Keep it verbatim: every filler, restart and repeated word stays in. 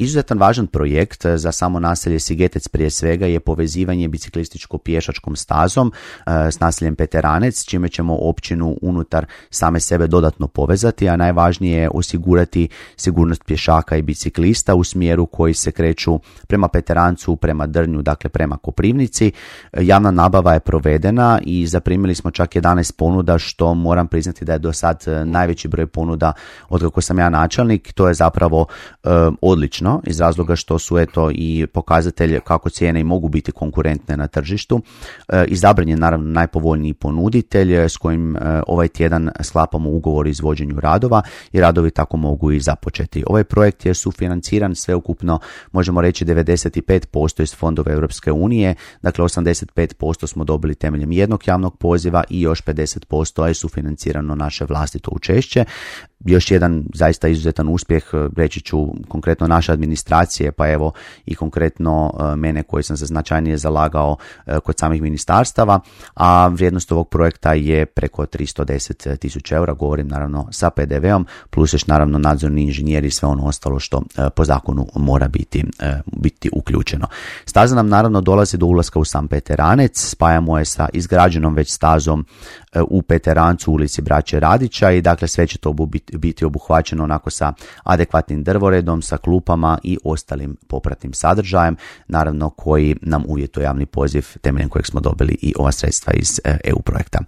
izuzetan važan projekt za samo naselje Sigetec prije svega je povezivanje biciklističko-pješačkom stazom s naseljem Peteranec, čime ćemo općinu unutar same sebe dodatno povezati, a najvažnije je osigurati sigurnost pješaka i biciklista u smjeru koji se kreću prema Peterancu, prema Drnju, dakle prema Koprivnici. Javna nabava je provedena i zaprimili smo čak jedanaest ponuda, što moram priznati da je do sad najveći broj ponuda od kako sam ja načelnik. To je zapravo e, odlično iz razloga što su eto i pokazatelj kako cijene i mogu biti konkurentne na tržištu. E, izabran je naravno najpovoljniji ponuditelj s kojim e, ovaj tjedan sklapamo ugovor o izvođenju radova i radovi tako mogu i započeti. Ovaj projekt je sufinanciran sveukupno, možemo reći devedeset pet posto iz fondova Europske unije, dakle osamdeset pet posto smo dobili temeljem jednog javnog poziva i još pedeset posto je sufinancirano naše vlastito učešće. Još jedan zaista izuzetan uspjeh, reći ću konkretno naše administracije, pa evo i konkretno mene koji sam se značajnije zalagao kod samih ministarstava, a vrijednost ovog projekta je preko tristo deset tisuća eura, govorim naravno sa pe de veom, plus još naravno nadzorni inženjeri i sve ono ostalo što po zakonu mora biti, biti uključeno. Staza nam naravno dolazi do ulaska u sam Peteranec, spajamo je sa izgrađenom već stazom u Peterancu, ulici Braće Radića, i dakle sve će to biti biti obuhvaćeno onako sa adekvatnim drvoredom, sa klupama i ostalim popratnim sadržajem, naravno koji nam uvjetuje javni poziv temeljem kojeg smo dobili i ova sredstva iz e u projekta.